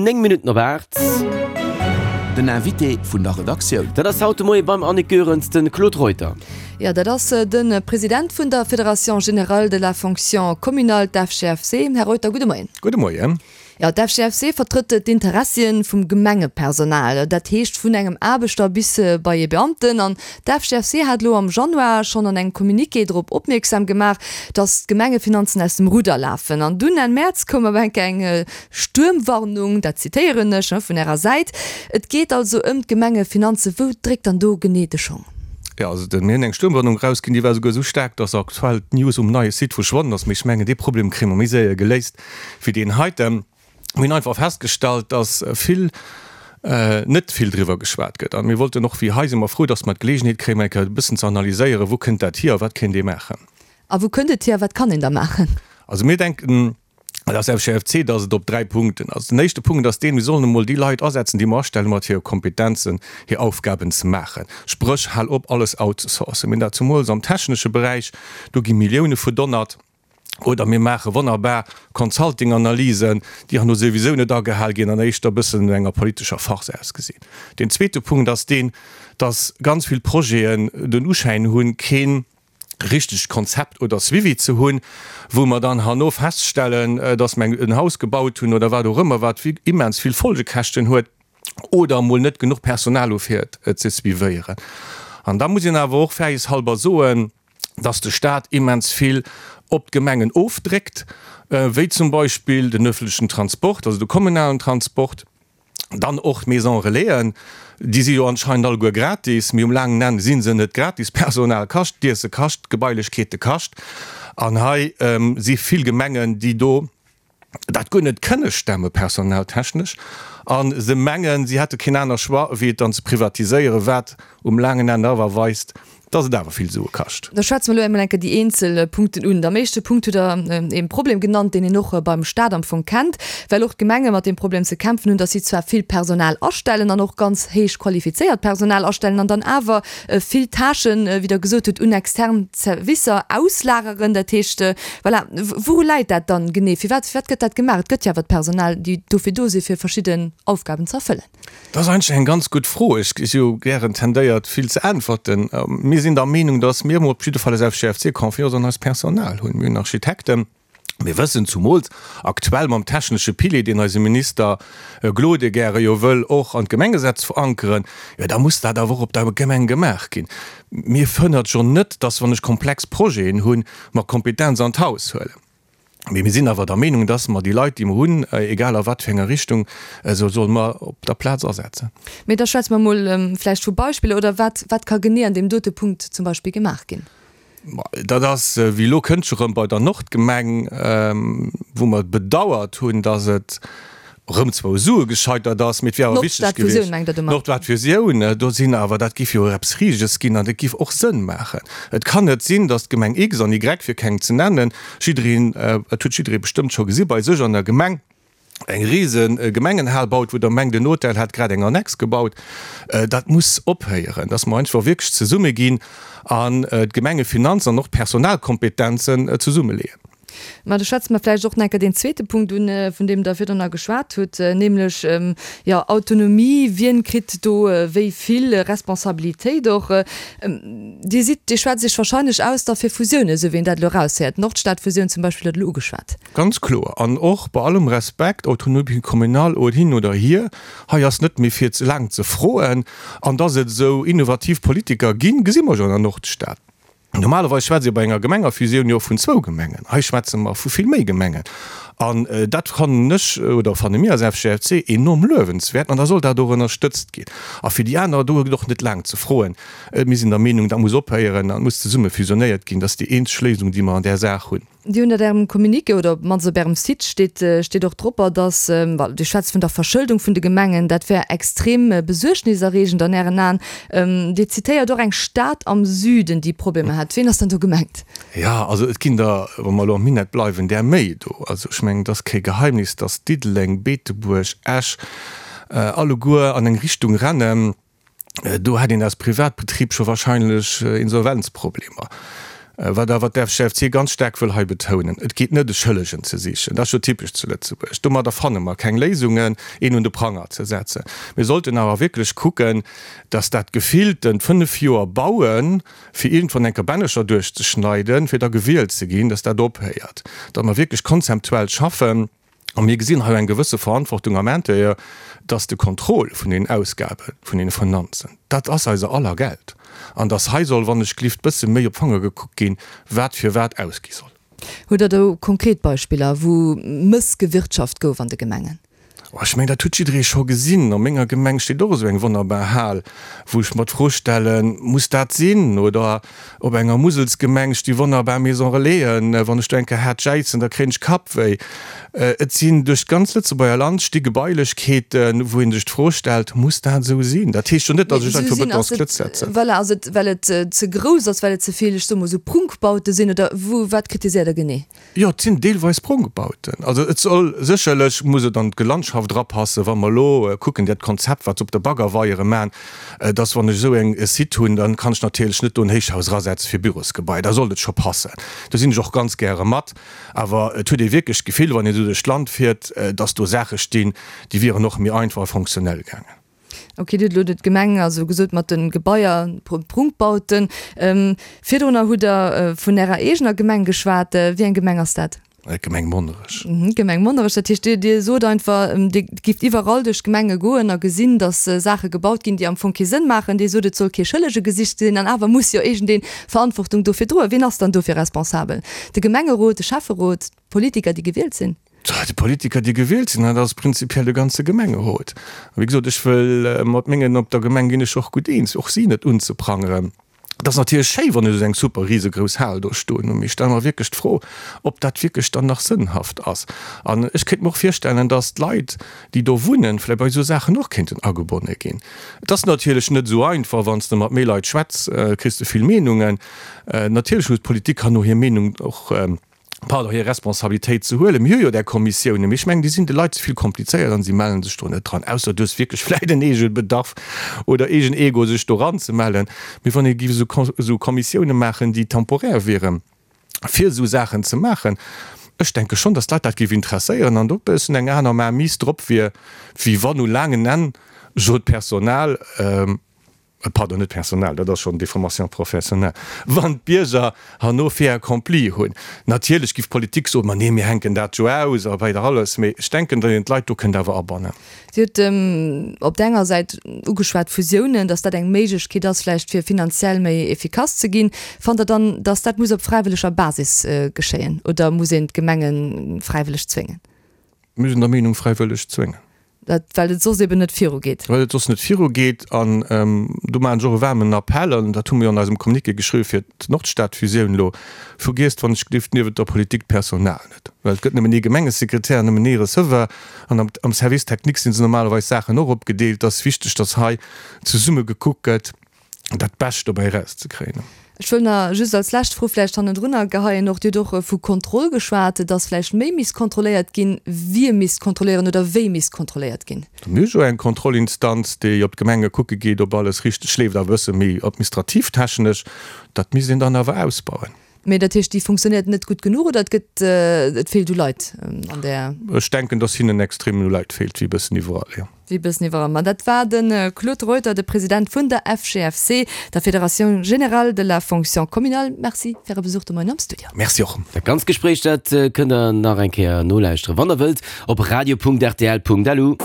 9 Minutten op 8. Den Invité vun der Redaktioun. Dat ass haut de Moie beim Annick Goerens de Claude Reuter. Jo, dat ass de President vun der Fédération générale de la fonction communale, d'FGFC. Här Reuter, gudde Moien. Gudde Moien. Jo, d'FGFC vertrëtt d'Interessien vum Gemengepersonal, dat heescht vun engem Aarbechter bis bei ee Beamten. An d'FGFC hat elo am Januar schonn an engem Communiqué drop opmierksam gemaach, datt d'Gemengefinanzen aus dem Rudder lafen. An dunn Enn Mäerz koum awer enk eng Stuermwarnung, dat zitéieren ech, vun Ärer Säit. Et geet also ëm d'Gemengefinanzen. Wou dréckt dann do genee de Schong? Jo, also mir hunn eng Stuermwarnung erausginn, déi war esouguer esou staark, datt aktuell d'News um neie Site verschwonnen ass. Mee ech mengen, dee Problem kréie mer méi séier geléist, wéi deen heiten. Mir hunn einfach festgestallt, dass vill, net vill driwwer geschwat gëtt. A mir wollten och, wéi hei si mer frou, dass mer d'Geleegenheet kréien, mol eng Kéier e bëssen ze analyséieren, wou kënnt dat hier a wat kéint ee maachen. A wou kënnt et hier a wat kann een da maachen? Also mir denken als FGFC, dass et op dräi Punkten ass. Den éischte Punkt ass deen, mir sollen emol déi Leit asetzen, déi mer astellen, mat hire Kompetenzen hir Aufgaben ze maachen. Spréch, hal op alles outzesourcen. Mir hunn dat zemools am technesche Beräich, do gi Millioune verdonnert. Oder mir maache wonnerbar Consulting-Analysen, déi herno souwisou net agehal ginn an éischter e bëssen no enger politescher Farce ausgesinn. Deen zweete Punkt ass deen, dass ganz vill Projeten den Uschäin hunn, kee richtegt Konzept oder Suivi ze hunn, wou mer dann herno feststellen, dass mer en Haus gebaut hunn oder wat och ëmmer, wat immens vill Folgekäschten huet oder emol net genuch Personal hu fir et ze suivéieren. An da muss een awer och fairjeshalber soen, dass de Staat immens vill op d'Gemengen ofdréckt, wéi zum Beispill den öffentlechen Transport, also de kommunalen Transport, dann och d'Maisons Relaisen, déi si jo anscheinend alleguer gratis, mee um laangen Enn si se net gratis, Personal kascht, d'Iesse kascht, d'Gebailechkeete kascht an hei si vill Gemengen, déi do dat guer net kënne stemme personaltechnesch a se mengen, si hätte keen aner Choix, wéi et dann ze privatiséieren, wat um laangen Enn awer weist, dass et awer vill Sue kascht. Da schwätze mer elo emol eng Kéier déi eenzel Punkten un. Am éischte Punkt hutt Der ee Problem genannt, deen een och beim Stat am Fong kennt, well och d'Gemenge mat deem Problem ze kämpfen hunn, dass si zwar vill Personal astellen an och ganz héich qualifizéiert Personal astellen an dann awer vill Tâchen, wéi Der gesot hutt, un extern Servicer auslageren. Dat heescht, voilà, wouru läit dat dann genee? Firwat, firwat gëtt dat gemaach? Et gëtt jo awer d'Personal, déi dofir do sinn, fir verschidden Aufgaben ze erfëllen. Dat ass eigentlech eng ganz gutt Fro. Ech si jo gären tendéiert, vill ze äntwerten. Mir sinn der Meenung, dass mir emol op jidde Fall als FGFC Confiance an eist Personal hunn. Mir hunn Architekten. Mir wëssen zumools aktuell mam technesche Pilier, deen eise Minister Gloden gäre jo wëll och an d'Gemengesetz verankeren, jo da muss dat awer och op der Gemeng gemaach ginn. Mir fënnert jo net, dass wann ech komplex Projeten hunn, mer Kompetenz an d'Haus huelen. Mee mir sinn awer der Meenung, dass mer déi Leit, déi mer hunn, egal a wat fir enger Richtung, se solle mer op der Plaz asetzen. Mee da schwätze mer emol vläicht vu Beispiller, oder wat, wat ka genee an deem dote Punkt zum Beispill gemaach ginn? Dat ass wéi elo kënnt scho rëm bei der Nordgemeng, wou mer bedauert hunn, datt et erëm zwou Sue gescheitert ass, mee et wier awer wichteg gewiescht. D'Nordstadfusioun, do sinn awer, dat géif jo eppes Riseges ginn an dat géif och Sënn maachen. Et kann net sinn, datt d'Gemeng X an Y, fir keng ze nennen, jiddereen, et huet jidderee bestëmmt scho gesi bei sech an der Gemeng, eng rise Gemengenhal baut, wou der mengt, en Hotel hätt grad eng Annex gebaut. Dat muss ophéieren, dass mer einfach wierklech zesumme ginn an d'Gemengefinanzen an och d'Personalkompetenzen zesummeleeën. Mä da schwätze mer vläicht och nach eng Kéier deen zweete Punkt un, vun deem Der virdrun nach geschwat hutt, nämlech, jo, Autonomie, Wien kritt do wéi vill Responsabilitéit och? Dir sidd, Dir schwätzt Iech wahrscheinlech aus da fir Fusiounen, esou wéi een dat elo eraushéiert. D'Nordstadfusioun zum Beispill hutt Der elo ugeschwat. Ganz kloer. An och bei allem Respekt, Autonomie communale oder hin oder hier, hei ass net méi fir ze laang ze froen. An dass et esou innovativ Politiker ginn, gesi mer jo an der Nordstad. Normalerweis schwätzt ee bei enger Gemengerfusioun jo vun zwou Gemengen. Hei schwätze mer vu vill méi Gemengen. An dat fannen ech oder fanne mir als FGFC enorm luewenswäert an da soll dat och ënnerstëtzt ginn. A fir déi aner, do gëtt och net laang ze froen. Mir sinn der Meenung, dat muss ophéieren an muss zesumme fusionéiert ginn. Dat ass déi eenzeg Léisung, déi mer an där Saach hunn. Dir hunn dat Ärem Communiqué oder op d'mannst op Ärem Site steet, steet och dropper, dass, well Dir schwätzt vun der Verschëldung vun de Gemengen, dat wär extrem besuergniserreegend an Ären Aen. Dir zitéiert och eng Stad am Süden, déi Problemer hätt. Ween ass dann do gemengt? Jo, also et ginn der, wa mer elo am Minett bleiwen, där méi do. Also ech mengen, et ass kee Geheimnis, dass Diddeleng, Beetebuerg, Esch alleguer an eng Richtung rennen, Do hätt een als Privatbetrib scho wahrscheinlech Insolvenzproblemer. Wat awer d'FGFC ganz staark wëll hei betounen, Et geet net e Schëllegen ze sichen, dat ass jo typesch zu Lëtzebuerg, domadder fanne mer keng Léisungen, een un de Pranger ze setzen. Mir sollten awer wierklech kucken, dass dat gefilltent 5 Joer bauen, fir iergendwann eng Kabännecher duerchzeschneiden, fir da gewielt ze ginn, dass dat ophéiert, datt mer wierklech konzeptuell schaffen. A mir gesinn hei eng gewësse Verantwortung am Intérieur, dass de Contrôle vun den Ausgaben, vun den Finanzen, dat ass eiser aller Geld, an dass hei soll, wann ech glift, bësse méi op d'Fanger gekuckt ginn, wat fir wat ausgi soll. Hutt Der do konkret Beispiller, wou mëssgewirtschaft gouf an de Gemengen? Oh, ech mengen, dat huet jidderee scho gesinn. A menger Gemeng steet och esou eng wonnerbar Hal, wou ech mer d'Fro stellen, Muss dat sinn? Oder op enger Muselsgemeng sti wonnerbar Maison Relaisen. Wann ech do eng Kéier haart jäizen, da kréien ech Kappwéi. Et sinn duerch d'ganz Lëtzebuerger Land sti Gebailechkeeten, wou ee sech d'Fro stellt, Muss dat esou sinn? Dat heescht jo net, datt ech einfach Betons Klëtz setzen. Voilà, ass et, well et ze grouss ass, well et ze vill, ech soe mol esou, Prunkbaute sinn? Oder wou, wat kritiséiert Der genee? Jo, et sinn deelweis Prunkbauten. Also et soll sécherlech, muss et an d'Gelandschaft erapassen, wa mer elo kucken, dat Konzept, wat se op de Baggerweiere maachen, dass wann ech esou eng e Site hunn, dann kann ech natierlech net do en Héichhaus erasetze fir Bürosgebai. Da sollt et scho passen. Do sinn ech och ganz gäre mat. Awer et huet ee wierklech d'Gefill, wann een esou duerch d'Land fiert, dass do Saache stinn, déi wieren och méi einfach a fonctionnel gaangen. Ok, Dir hutt elo d'Gemeng also gesot mat de Gebaier, Prunkbauten. Virdrunner hutt Der vun Ärer eegener Gemeng geschwat. Wéi eng Gemeng ass dat? D'Gemeng Monnerech. D'Gemeng Monnerech. Dat heescht, Dir sot einfach, Dir gifft iwwerall duerch d'Gemenge goen a gesinn, datt Saache gebaut ginn, déi am Fong kee Sënn maachen. Dir sot, et soll kee Schëllege gesicht sinn. An awer muss jo iergendee Verantwortung dofir droen. Wien ass dann dofir responsabel? De Gemengerot, de Schäfferot, d'Politiker, déi gewielt sinn? Déi Politiker, déi gewielt sinn, dat ass prinzipiell de ganze Gemengerot. A wéi gesot, ech wëll mat mengen op der Gemeng ginn ech och gutt eens, och si net unzeprangeren. Et ass natierlech schéi, wann ech esou eng super risegrouss Hal do stoen hunn, mee ech stelle mer wierklech d'Fro, ob dat wierklech dann nach sënnhaft ass. An ech kéint mer och virstellen, datt d'Leit, déi do wunnen, vläicht bei esou Saachen och kéinten agebonne ginn. Et ass natierlech net esou einfach, wann s de mat méi Leit schwätz, kriss de vill Meenungen. Natierlech muss d'Politik herno hir Meenung och pardon, hir Responsabilitéit ze huelen. Mir hu jo där Kommissiounen, mee ech mengen, déi sinn de Leit ze vill komplizéiert an si mellen sech do net dran, ausser du hues wierklech vläicht en Eegebedarf oder eegen Ego, sech do eranzemellen. Mee wann ee géif esou Kommissiounen maachen, déi temporär wieren, fir esou Saachen ze maachen, ech denke schonn, datt d'Leit dat géif interesséieren an do e bëssen eng aner Mainmise drop wier, wéi wann u laangen Enn jo d'Personal, pardon, net Personal, dat ass schonn Déformation professionnelle, wann d'Bierger herno Fait accompli hunn. Natierlech giff d'Politik soen, ma nee, mir hänken dat jo aus a weider alles, mee ech denken, datt een d'Leit do kënnt awer abannen. Dir hutt op der enger Säit ugeschwat Fusiounen, datt dat eng Méiglechkeet ass vläicht fir finanziell méi efficace ze ginn. Fannt Der dann, datt dat muss op fräiwëlleger Basis geschéien oder muss een d'Gemenge fräiwëlleg zwéngen? Mir sinn der Meenung, fräiwëlleg zwéngen. Dat, well et soss eben net virugeet. Well et soss net virugeet. An do maachen ech och e waarmen Appell, an dat hu mir jo an eisem Communiqué geschriwwen fir d'Nordstad-Fusioun elo, Vergiesst wann ech gelift niewent der Politik d'Personal net. Well et gëtt nëmmen ee Gemengesekretär, nëmmen ee Receveur, an am Service technique si se normalerweis Saachen och opgedeelt. Et ass wichteg, datt hei zesumme gekuckt gëtt, dat Bescht dobäi erauszekréien. Ech wëll nach just als lescht Fro vläicht hannendrunner geheien och, Dir hutt och vu Kontroll geschwat, dass vläicht méi misst kontrolléiert ginn. Wie misst kontrolléieren oder wéi misst kontrolléiert ginn? Mir hu jo eng Kontrollinstanz, déi op d'Gemenge kucke geet, ob alles richteg leeft, awer e bësse méi administrativ-technesch. Dat misst een dann awer ausbauen. Mee dat heescht, déi funktionéiert net gutt genuch oder et gëtt, et feelt u Leit an där. Ech denken, dass hinnen extrem u Leit feelt, wéi e bëssen iwwerall, jo. Wéi e bëssen iwwerall. Ma dat war de Claude Reuter, de President vun der FGFC, der Fédération Générale de la Fonction Communale. Merci fir Äre Besuch de Moien am Studio. Merci och. Dat ganzt Gespréich, dat kënnt der nach eng Kéier nolauschteren, wann der wëllt, op radio.rtl.lu.